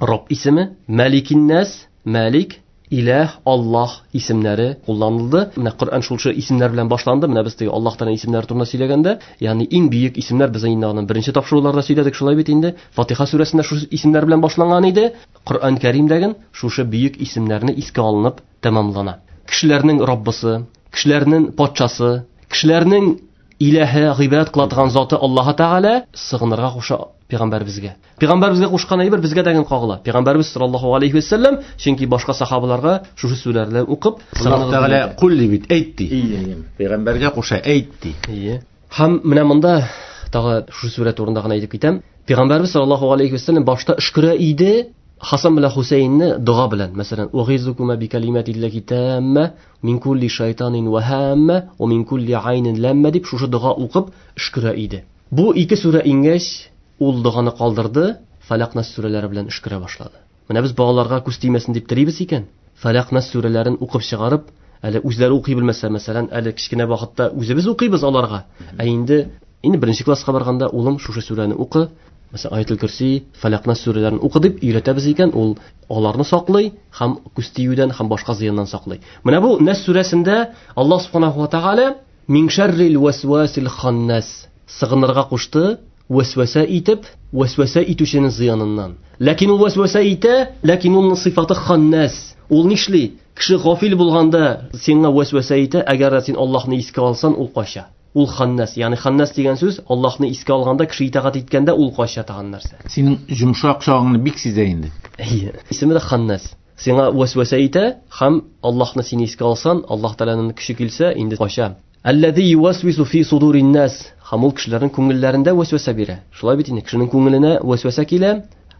Рабб исеме, Маликин нас, Малик, Илаһ, Аллаһ исемнәре кулланылды. Менә Коръән шушы исемнәр белән башланды. Менә без теге Аллаһ Тааля исемнәре турында сөйләгәндә, ягъни иң бөек исемнәр без инде аның беренче тапшыруларда сөйләдек, шулай бит инде. Фатиха сүрәсендә шушы исемнәр белән башланган иде. Коръән Кәримдәген шушы бөек исемнәрне искә алынып тәмамлана. Кешеләрнең Раббысы, кешеләрнең патшасы, кешеләрнең илаһы, гыйбадәт кыла торган заты Аллаһ Тааля сыгынырга куша пәйгамбәребезгә. Пәйгамбәребезгә кушкан әйбер безгә дә кагыла. Пәйгамбәребез саллаллаһу алейхи ва сәлләм, чөнки башка сахабаларга шушы сүзләрне укып, Аллаһ Тааля кул дип бит әйт ди. Пәйгамбәргә куша әйт ди. Ие. Һәм менә монда тагы шушы сүрә турында гына әйтеп китәм. Пәйгамбәребез саллаллаһу алейхи ва сәлләм башта өшкерә иде Хасан белән Хусейнне дога белән, мәсәлән, угизукума би калиматиллаһи тамма мин кулли шайтанин ва хамма ва мин кулли айнин ламма дип шушы дога укып өшкерә иде. Бу ике сүрә иңгәч, ул доганы калдырды, Фалак Нас сүрәләре белән өшкерә башлады. Менә без балаларга күз тимәсен дип телибез икән, Фәләк, Нас сүрәләрен укып чыгарып, әле үзләре укый белмәсә, мәсәлән, әле кечкенә вакытта үзебез укыйбыз аларга. Ә инде инде беренче класска барганда, улым, шушы сүрәне укы, мәсәлән, Аятул Курси, Фәләк, Нас сүрәләрен укы дип өйрәтәбез икән, ул аларны саклый һәм күз тиюдән һәм башка зыяннан саклый. Менә бу Нас сүрәсендә Аллаһ субханаһу ва тааля мин шәррил васвасил ханнас сыгынырга кушты, васваса итеп, васваса итүченең зыяныннан. Ләкин ул васваса итә, ләкин уның сыйфаты ханнас. Ул нишли? Кеше гафил булганда сиңа васваса итә, әгәр син Аллаһны искә алсаң, ул кача. Ул ханнас, ягъни ханнас дигән сүз Аллаһны искә алганда, кеше итагать иткәндә ул кача дигән нәрсә. Синең йомшак чагыңны бик сизә инде. Әйе. Исеме дә ханнас. Сиңа васваса итә һәм Аллаһны син искә алсаң, Аллаһ Тәгаләнең көче килсә, инде кача. Әлләзи ювасвису фи судурин нас. Һәм ул кешеләрнең күңелләрендә васваса бирә. Шулай бит инде, кешенең күңеленә васваса килә.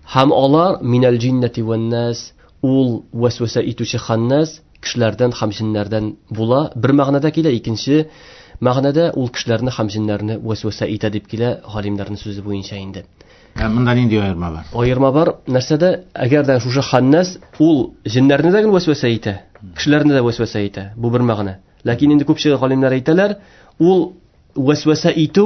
Һәм алар минәл җиннәти вән нас. Ул васваса итүче ханнас кешеләрдән һәм җиннәрдән була. Бер мәгънәдә килә, икенче мәгънәдә ул кешеләрне һәм җиннәрне васваса итә дип килә галимнәрнең сүзе буенча инде. Ә монда нинди аерма бар? Аерма бар нәрсәдә? Әгәр дә шушы ханнас ул җиннәрне дә генә васваса итә, кешеләрне дә васваса итә. Бу бер мәгънә. Ләкин инде күпчелек галимнәр әйтәләр, ул васваса итү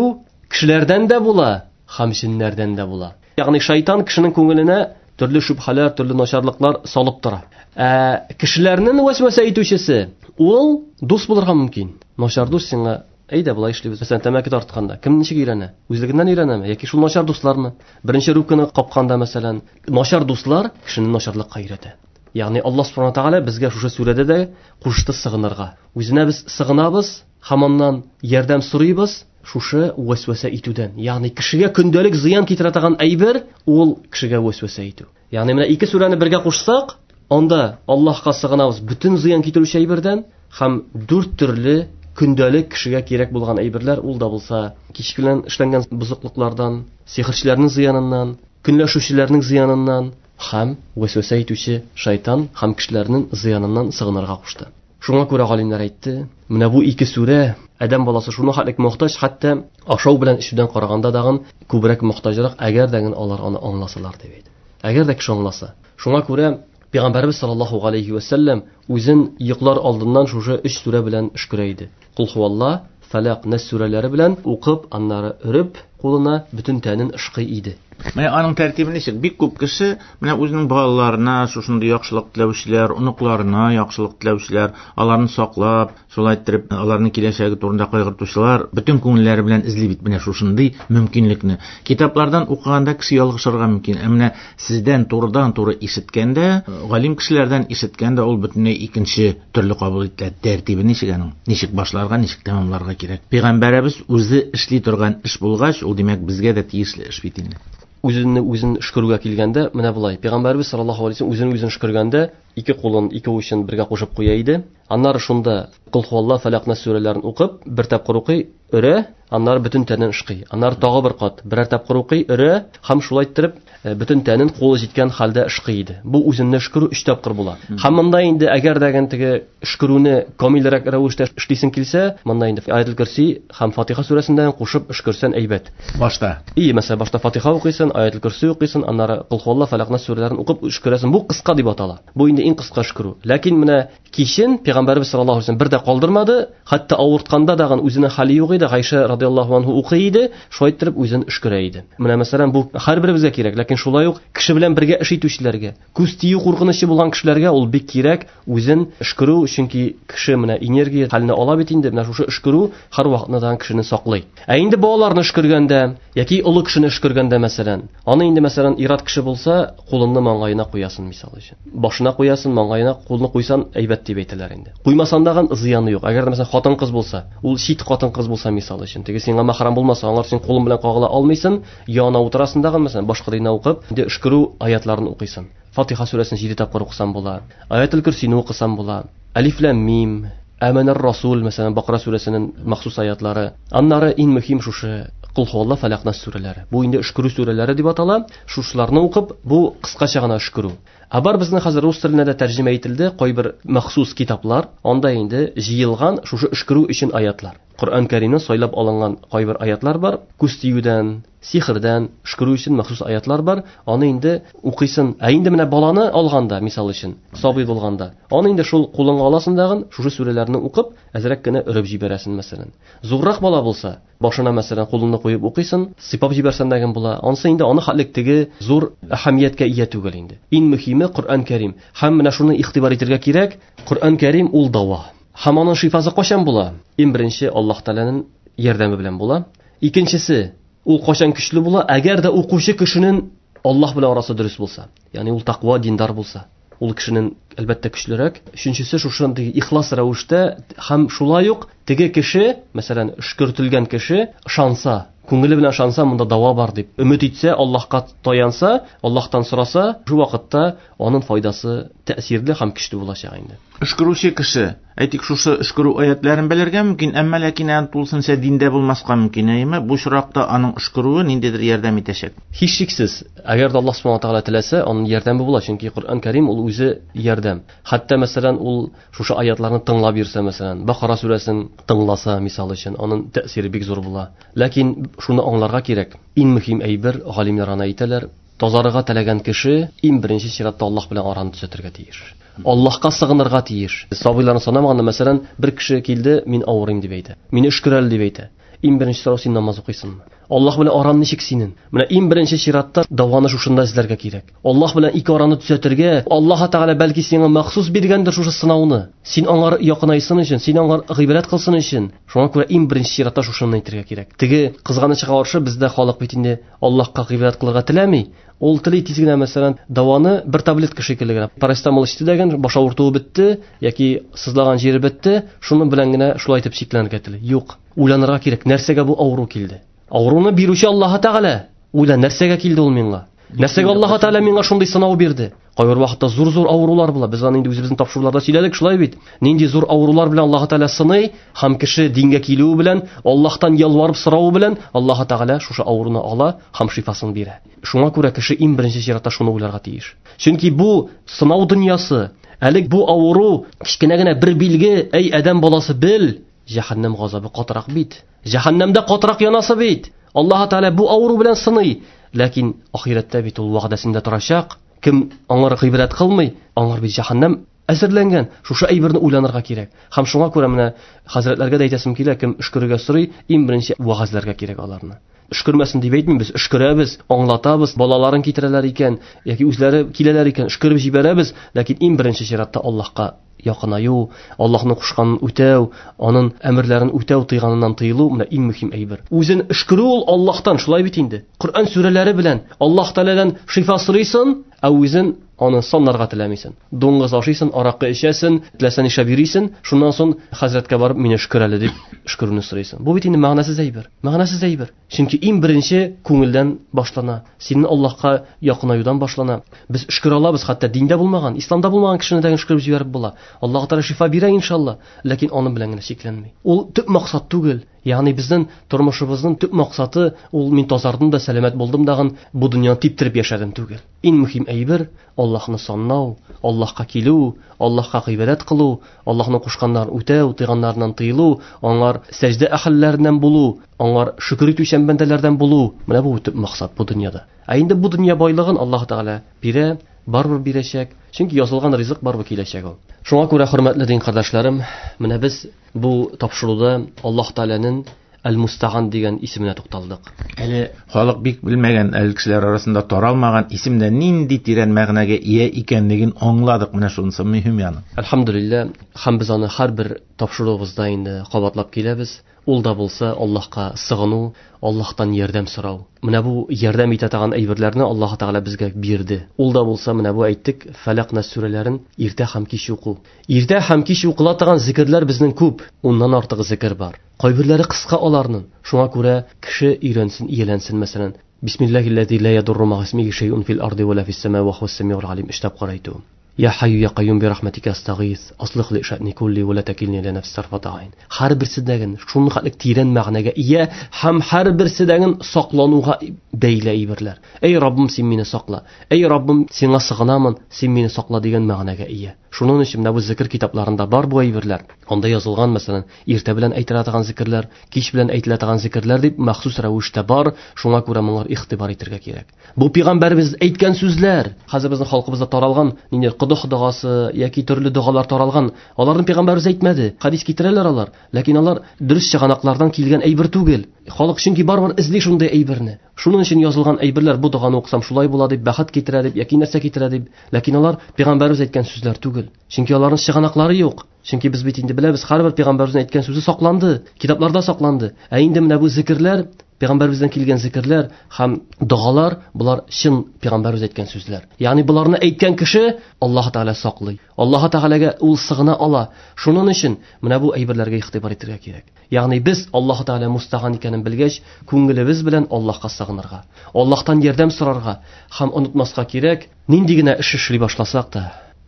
кешеләрдән дә була, һәм җиннәрдән дә була. Ягъни шайтан кешенең күңеленә төрле шөбһәләр, төрле начарлыклар салып тора. Ә кешеләрнең васваса итүчесе ул дус булырга мөмкин. Начар дус сиңа, әйдә болай эшлибез. Мәсәлән, тәмәке тартканда кем ничек өйрәнә? Үзлегеннән өйрәнәме яки шул начар дуслармы? Беренче рюмканы капканда, мәсәлән, начар дуслар кешене начарлыкка өйрәтә. Ягъни Аллаһ субхана ва тааля безгә шушы сүрәдә дә кушты сыгынырга. Үзенә без сыгынабыз һәм аннан ярдәм сорыйбыз шушы васваса итүдән. Ягъни кешегә көндәлек зыян китерә торган әйбер ул кешегә васваса итү. Ягъни менә ике сүрәне бергә кушсак, анда Аллаһка сыгынабыз бөтен зыян китерүче әйбердән һәм дүрт төрле көндәлек кешегә кирәк булган әйберләр, ул да булса кич белән эшләнгән бозыклыклардан, сихерчеләрнең зыяныннан, көнләшүчеләрнең зыяныннан һәм васваса итүче шайтан һәм кешеләрнең зыяныннан сыгынырга кушты. Шуңа күрә галимнәр әйтте, менә бу ике сүрә адәм баласы шуны хәтлек мохтаҗ, хәтта ашау белән эчүдән караганда дагын күбрәк мохтаҗрак, әгәр дә алар аны аңласалар дип әйтте. Әгәр дә кеше аңласа. Шуңа күрә Пәйгамбәрбез саллаллаһу алейхи ва саллям үзен йоклар алдыннан шушы өч сүрә белән өшкерә иде. Кул хуалла, Фәләк, Нас сүрәләре белән укып, аннары өреп, кулына бөтен тәнен ышкый иде. Менә аның тәртибе ничек? Бик күп кеше менә үзенең балаларына шушындый яхшылык теләүчеләр, оныкларына яхшылык теләүчеләр, аларны саклап, шулай иттереп, аларның киләчәге турында кайгыртучылар бөтен күңелләре белән эзли бит менә шушындый мөмкинлекне. Китаплардан укыганда кеше ялгышырга мөмкин. Ә менә сездән турыдан-туры ишеткәндә, галим кешеләрдән ишеткәндә ул бөтенләй икенче төрле кабул ителә. Тәртибе ничек аның? Ничек башларга, ничек тәмамларга кирәк? Пәйгамбәребез үзе эшли торган эш булгач, ул димәк безгә дә тиешле эш бит инде. Үзенне үзен өшкерүгә килгәндә, менә болай, Пәйгамбәребез саллаллаһу алейһи ва саллям үзен үзен өшкергәндә ике кулын, ике учын бергә кушып куя иде. Аннары шунда Кул хуалла, Фәләк, Нас сүрәләрен укып, бер тапкыр укый, өрә, аннары бөтен тәнен ышкый. Аннары тагы бер кат, берәр тапкыр укый, өрә һәм шулай иттереп бөтен тәнен кулы җиткән хәлдә ышкый иде. Бу үзенне өшкерү өч тапкыр була. Һәм монда инде әгәр дә теге өшкерүне камилрәк рәвештә эшлисең килсә, монда инде Аятул Курси һәм Фатиха сүрәсеннән кушып өшкерсән әйбәт. Башта. И, мәсәлән, башта Фатиха укыйсың, Аятул Курси укыйсың, аннары Кул хуалла, Фәләк, Нас сүрәләрен укып өшкерәсең. Бу кыска дип атала. Бу инде иң кыска өшкерү. Ләкин менә кичен Пәйгамбәрбез саллаллаһу алейһи ва саллям бер дә калдырмады, хәтта авыртканда дагын үзенең хәле юк иде, Гайша радиаллаһу анһу укый иде, шулай иттереп үзен өшкерә иде. Менә мәсәлән, бу һәрберебезгә кирәк, ләкин шулай ук кеше белән бергә эш итүчеләргә, күз тию куркынычы булган кешеләргә ул бик кирәк үзен өшкерү, чөнки кеше менә энергия хәленә ала бит инде, менә шушы өшкерү һәр вакытны да кешене саклый. Ә инде балаларны өшкергәндә яки олы кешене өшкергәндә мәсәлән, аны инде мәсәлән ир-ат кеше булса, кулыңны маңгаена куясың мисал өчен. Башына куясың, маңгаена кулны куйсан әйбәт дип әйтәләр инде. Куймасан дагын зыяны юк. Әгәр дә мәсәлән хатын-кыз булса, ул чит хатын-кыз булса мисал өчен, теге сиңа махрам булмаса, аңар син кулың белән кагыла алмыйсың, янына утырасың дагын мәсәлән, башка динне укып, инде өшкерү аятларын укыйсың. Фатиха сүрәсен җиде тапкыр укысаң була, Аятул Курсины укысаң була, Алиф лам мим, Аманар Расул, мәсәлән, Бакара сүрәсенең махсус аятлары. Аннары иң мөһим шушы Кул хуалла, Фәләк, Нас сүрәләре. Бу инде өшкерү сүрәләре дип атала. Шушыларны укып, бу кыскача гына өшкерү. Ә бар безнең хәзер рус теленә дә тәрҗемә ителде кайбер махсус китаплар, анда инде җыелган шушы өшкерү өчен аятлар. Коръән Кәримнән сайлап алынган кайбер аятлар бар, күз тиюдән, сихердән өшкерү өчен махсус аятлар бар. Аны инде укыйсын. Ә инде менә баланы алганда, мисал өчен, сабый булганда, аны инде шул кулыңа аласың дагын, шушы сүрәләрне укып, әзрәк кенә өреп җибәрәсең, мәсәлән. Зуррак бала булса, башына мәсәлән кулыңны куеп укыйсын, сыйпап җибәрсәң дә була. Ансы инде аны хәтлек теге зур әһәмияткә ия түгел инде. Иң мөһиме Коръән Кәрим. Һәм менә шуны игътибар итәргә кирәк, Коръән Кәрим ул дава. Һәм аның шифасы кайчан була? Иң беренче Аллаһ Тәгаләнең ярдәме белән була. Икенчесе, ул кайчан көчле була? Әгәр дә укучы кешенең Аллаһ белән арасы дөрес булса, ягъни ул тәкъва диндар булса, ул кешенең әлбәттә көчлерәк. Өченчесе, шушындый ихлас рәвештә һәм шулай ук теге кеше, мәсәлән, өшкертелгән кеше ышанса, күңеле белән ышанса, монда дава бар дип өмет итсә, Аллаһка таянса, Аллаһтан сораса, шу вакытта аның файдасы тәэсирле һәм көчле булачак инде. Өшкерүче кеше, әйтик, шушы өшкерү аятларын белергә мөмкин, әмма ләкин аны тулысынча диндә булмаска мөмкин, әйеме? Бу очракта аның өшкерүе ниндидер ярдәм итәчәк. Һичшиксез, әгәр дә Аллаһ субхана тәгалә теләсә, аның ярдәме була, чөнки Коръән Кәрим ул үзе ярдәм. Хәтта мәсәлән, ул шушы аятларны тыңлап йөрсә, мәсәлән, Бакара сүрәсен тыңласа, мисал өчен, аның тәэсире бик зур була. Ләкин шуны аңларга кирәк. Иң мөһим әйбер, галимнәр аны әйтәләр, тазарырга теләгән кеше иң беренче чиратта Аллаһ белән араны төзәтергә тиеш. Аллаһка сыгынырга тиеш. Сабыйларны санамаганда, мәсәлән, бер кеше килде, мин авырыйм дип әйтә. Мине өшкерәл дип әйтә. Иң беренче сорау, син намаз укыйсыңмы? Аллаһ белән аран ничек синең? Менә иң беренче чиратта даваны шушында эзләргә кирәк. Аллаһ белән ике араны төзәтергә, Аллаһ Тәгалә бәлки сиңа махсус биргәндер шушы сынауны. Син аңар якынайсын өчен, син аңар гыйбадәт кылсын өчен. Шуңа күрә иң беренче чиратта шушыны әйтергә кирәк. Теге кызганычка каршы бездә халык бит инде Аллаһка гыйбадәт кылырга теләми. Ул тели тиз генә, мәсәлән, даваны бер таблетка шикелле генә. Парацетамол эчте дәген, баш авыртуы бетте яки сызлаган җире бетте, шуның белән генә шулай итеп чикләнергә тели. Юк, уйланырга кирәк, нәрсәгә бу авыру килде? Авыруны бирүче Аллаһ Тәгалә. Уйла, нәрсәгә килде ул миңа? Нәрсәгә Аллаһ Тәгалә миңа шундый сынау бирде? Кайбер вакытта зур-зур авырулар була. Без аны инде үзебезнең тапшыруларда сөйләдек, шулай бит. Нинди зур авырулар белән Аллаһ Тәгалә сыный, һәм кеше дингә килүе белән, Аллаһтан ялварып соравы белән Аллаһ Тәгалә шушы авыруны ала һәм шифасын бирә. Шуңа күрә кеше иң беренче чиратта шуны уйларга тиеш. Чөнки бу сынау дөньясы, әле бу авыру кечкенә генә бер билге, әй адәм баласы бел, җәһәннәм газабы катырак бит. Җәһәннәмдә катырак янасы бит. Аллаһ Тәгалә бу авыру белән сыный, ләкин ахирәттә бит ул вәгъдәсендә торачак. Кем аңар гыйбадәт кылмый, аңар бит җәһәннәм әзерләнгән. Шушы әйберне уйланырга кирәк. Һәм шуңа күрә менә хәзрәтләргә дә әйтәсем килә, кем өшкерергә сорый, иң беренче вәгазьләргә кирәк аларны. Өшкермәсен дип әйтмим, без өшкерәбез, аңлатабыз, балаларын китерәләр икән, яки үзләре киләләр икән, өшкереп җибәрәбез, ләкин иң беренче чиратта Аллаһка якынаю, Аллаһның кушканын үтәү, аның әмерләрен үтәү, тыйганыннан тыелу менә иң мөһим әйбер. Үзен өшкерү ул Аллаһтан, шулай бит инде. Коръән сүрәләре белән Аллаһ Тәгаләдән шифа сорыйсың, ә үзен аны саннарга теләмисең. Дуңгыз ашыйсың, аракы эчәсең, теләсә нишләп йөрисең, шуннан соң хәзрәткә барып мине өшкер әле дип өшкерүне сорыйсың. Бу бит инде мәгънәсез әйбер. Мәгънәсез әйбер. Чөнки иң беренче күңелдән башлана. Синең Аллаһка якынаюдан башлана. Без өшкерә алабыз, хәтта диндә булмаган, исламда булмаган кешене дә өшкереп җибәреп була. Аллаһ Тәгалә шифа бирә иншалла, ләкин аның белән генә чикләнми. Ул төп максат түгел. Ягъни безнең тормышыбызның төп максаты ул мин тазардым да, сәламәт булдым дагын, бу дөньяны типтереп яшәдем түгел. Иң мөһим әйбер Аллаһны санлау, Аллаһка килү, Аллаһка гыйбадәт кылу, Аллаһның кушканнарын үтәү, тыйганнарыннан тыелу, аңар сәҗдә әһелләреннән булу, аңар шөкер итүчән бәндәләрдән булу. Менә бу төп максат бу дөньяда. Ә инде бу дөнья байлыгын Аллаһ Тәгалә бирә, барыбер бирәчәк. Чөнки язылган ризык барыбер киләчәк ул. Шуңа күрә, хөрмәтле дин кардәшләрем, менә без бу тапшыруда Аллаһ Тәгаләнең Әл-Мустаган дигән исеменә тукталдык. Әле халык бик белмәгән, әле кешеләр арасында таралмаган исемдә нинди тирән мәгънәгә ия икәнлеген аңладык. Менә шунысы мөһим яны. Әлхәмдүлилләһ, һәм без аны һәрбер тапшыруыбызда инде кабатлап киләбез. Ул да булса Аллаһка сыгыну, Аллаһтан ярдәм сорау. Менә бу ярдәм итә торган әйберләрне Аллаһ Тәгалә безгә бирде. Ул да булса менә бу әйттек, Фәләк Нас сүрәләрен иртә һәм кич уку. Иртә һәм кич укыла торган зикерләр безнең күп, уннан артык зикер бар. Кайберләре кыска аларның. Шуңа күрә кеше өйрәнсен, ияләнсен, мәсәлән, Бисмиллахиллази ла ядурру ма исмихи шайъун фил арди ва ла фис самаи ва хуас самиул алим эшләп карайту. Я Hayyu ya Qayyum bi rahmatika astag'is, aslih li sha'ni kulli va la takilni ila nafsi tarfata ayn. Har birsidagi shunchalik teran ma'noga ega, ham har birsidagi saqlanuvga beyli aybirlar. Ey Robbim, sen meni saqla. Ey Robbim, senga sig'inaman, sen meni saqla degan ma'noga ega. Shuning uchun mana bu zikr kitoblarida bor bu aybirlar. Onda yozilgan, masalan, erta bilan aytiladigan zikrlar, kech bilan aytiladigan zikrlar deb maxsus ravishda bor. Shunga ko'ra bunlar e'tibor ettirga kerak. Bu payg'ambarimiz aytgan so'zlar, hozir bizning xalqimizda taralgan nindir quduq duosi yoki turli duolar taralgan, ularni payg'ambarimiz aytmadi. Hadis keltiralar ular, lekin ular durust chig'anoqlardan kelgan aybir tugul. Xalq chunki baribir izli shunday aybirni. Shuning uchun yozilgan aybirlar, bu duoni o'qisam shulay bo'ladi deb, baxt keltiradi deb yoki narsa keltiradi deb, lekin ular payg'ambarimiz aytgan so'zlar tugul. Chunki ularning chig'anoqlari yo'q. Chunki biz bit endi bilamiz, har bir payg'ambarimizning aytgan so'zi saqlandi, kitoblarda saqlandi. A endi mana bu zikrlar, payg'ambarimizdan kelgan zikrlar ham duolar, bular chin payg'ambarimiz aytgan so'zlar. Ya'ni bularni aytgan kishi Alloh taolo saqlay. Alloh taolaga u sig'ina ola. Shuning uchun mana bu ayblarga e'tibor ettirga kerak. Ya'ni biz Alloh taolo mustag'an ekanini bilgach, ko'nglimiz bilan Allohga sig'inirga, Allohdan yordam so'rarga ham unutmasga kerak. Nindigina ish ishlay boshlasak da,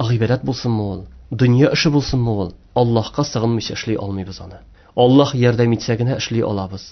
g'ibodat bo'lsinmi ul, dunyo ishi bo'lsinmi ul, Allohga sig'inmay ishlay olmaymiz uni. Alloh yordam etsagina ishlay olamiz.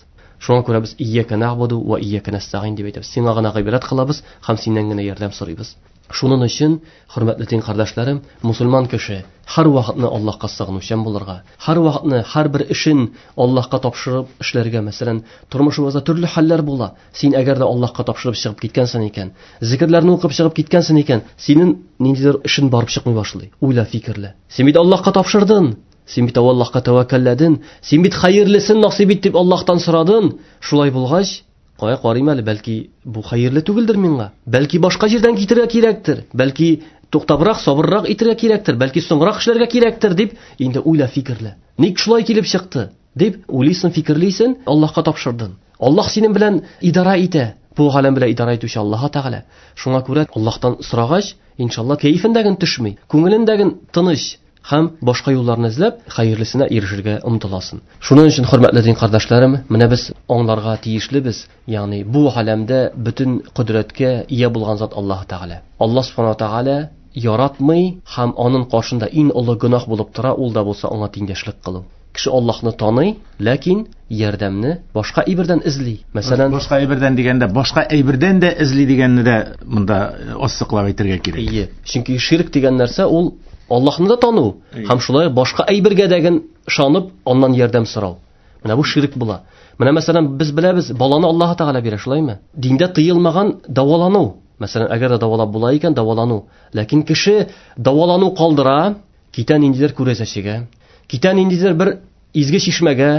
Shunga ko'ra biz iyyaka na'budu va iyyaka nasta'in deb aytamiz. Senga g'ana g'ibodat qilamiz, ham sendangina yordam so'raymiz. Shuning uchun hurmatli din qarindoshlarım, musulmon kishi har vaqtni Allohga sig'inuvchan bo'lirga, har vaqtni har bir ishin Allohga topshirib ishlarga, masalan, turmushimizda turli hollar bo'la. Sen agarda Allohga topshirib chiqib ketgansan ekan, zikrlarni o'qib chiqib ketgansan ekan, sening nimadir ishin borib chiqmay boshlaydi. O'yla, fikrla. Sen bit Allohga topshirdin. Sen bit Allohga tavakkalladin. Sen bit xayrlisini nasib et deb Allohdan so'radin. Shulay bo'lg'ach, qo'ya qarayman, balki bu xayrli tugildir menga. Balki boshqa yerdan ketirga kerakdir. Balki to'xtabroq, sabrroq etirga kerakdir. Balki so'ngroq ishlarga kerakdir deb endi o'yla, fikrla. Nik shulay kelib chiqdi deb o'ylaysan, fikrlaysan, Allohga topshirdin. Alloh sening bilan idora eta. Bu olam bilan idora etuvchi Alloh taolo. Shunga ko'ra Allohdan so'rag'ach, inshaalloh kayfindagin tushmay, ko'nglindagin tinch ham boshqa yo'llarni izlab xayrlisini erishishga umtilasin. Shuning uchun hurmatli din qarindoshlarım, mana biz onglarga tegishli biz, ya'ni bu olamda butun qudratga ega bo'lgan zot Alloh taolo. Alloh subhanahu va taolo yaratmay ham oning qoshida eng ulug' gunoh bo'lib tura, ul da bo'lsa unga tengdashlik qiluv. Kishi Allohni taniy, lekin yordamni boshqa ibirdan izli. Masalan, boshqa ibirdan deganda boshqa ibirdan da izli deganni da bunda ossiqlab aytirga kerak. Iye, chunki shirk degan narsa ul Allohni da tanu, ham shulay boshqa aybirga degan ishonib, ondan yordam so'rav. Mana bu shirk bo'la. Mana masalan biz bilamiz, bolani Alloh taolo beradi, shulaymi? Dinda tiyilmagan davolanuv. Masalan, agarda davolab bo'lar ekan, davolanuv. Lekin kishi davolanuv qoldira, ketan indidir ko'rasashiga, ketan indidir bir izgi shishmaga,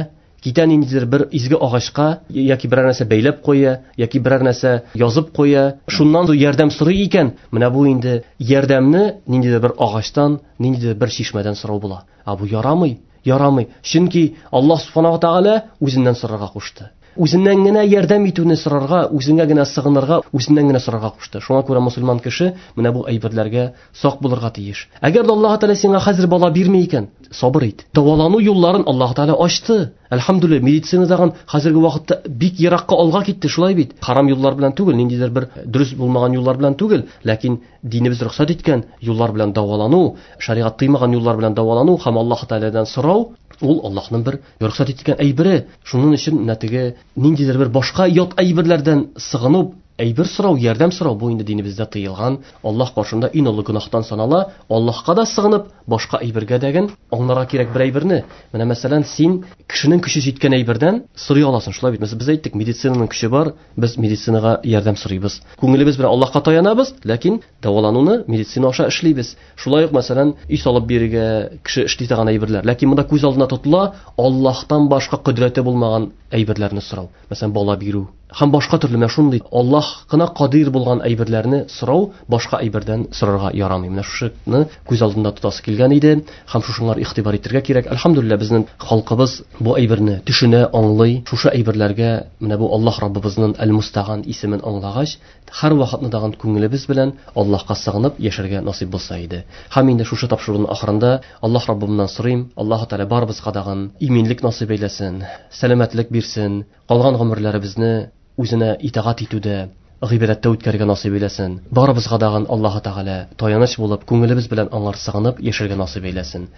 ketan indidir bir izgi og'ochga yoki biror narsa baylab qo'ya, yoki biror narsa yozib qo'ya, shundan yordam so'ray ekan, mana bu endi yordamni nindidir bir og'ochdan, nindidir bir shishmadan so'rav bo'la. A bu yaramay, yaramay. Chunki Alloh subhanahu va taolo o'zidan so'rarga qo'shdi. O'zindangina yordam etuvni so'rarga, o'zingagina sig'inirga, o'zindangina so'rarga qo'shdi. Shunga ko'ra musulmon kishi mana bu ayblarga soq bo'lirga tegish. Agar Alloh taolo senga hozir balo bermay ekan, sabr et. Davolanuv yo'llarini Alloh taolo ochdi. Alhamdulillah, meditsinadagan hozirgi vaqtda bek yiroqqa olg'a ketdi, shulay bit. Harom yo'llar bilan tugul, nindidir bir durust bo'lmagan yo'llar bilan tugul, lekin dinimiz ruxsat etgan yo'llar bilan davolanuv, shariat tiymagan yo'llar bilan davolanuv ham Alloh taoladan so'rov, ul Allohning bir ruxsat etgan aybiri. Shuning uchun natija nindidir bir boshqa yot aybirlardan sig'inib, aybir so'rov, yordam so'rov bu endi dinimizda tiyilgan, Alloh qoshida eng ulug' gunohdan sanala, Allohga da sig'inib boshqa aybirga degan onglarga kerak bir aybirni. Mana masalan, sen kishining kuchi yetgan aybirdan so'ray olasan, shulay bitmasa biz aytdik, meditsinaning kuchi bor, biz meditsinaga yordam so'raymiz. Ko'nglimiz bilan Allohga tayanamiz, lekin davolanuvni meditsina osha ishlaymiz. Shulay masalan, uy solib beriga kishi ishlaydigan aybirlar, lekin bunda ko'z oldida tutila Allohdan boshqa qudrati bo'lmagan aybirlarni so'rav. Masalan, bola beruv ham boshqa turli mana shunday Allohgina qodir bo'lgan aybirlarni so'rov, boshqa aybirdan so'rarga yaramay. Mana shuni ko'z oldida tutasi kelgan edi. Ham shu shunlar e'tibor etirga kerak. Alhamdulillah, bizning xalqimiz bu aybirni tushuna, anglay, shu aybirlarga mana bu Alloh Robbimizning Al-Musta'an ismini anglag'ach, har vaqtni dag'an ko'nglimiz bilan Allohga sig'inib yasharga nasib bo'lsa edi. Ham endi shu shu topshiriqning oxirida Alloh Robbimdan so'rayim, Alloh taolo baribizga dag'an iminlik nasib aylasin, salomatlik bersin, qolgan umrlarimizni o'zini itoat etuvda, гыйбадәттә үткәрергә насыйп әйләсен. Барыбызга дагын Аллаһы Тәгалә таяныч булып, күңелебез белән аңар сыгынып яшәргә насыйп әйләсен.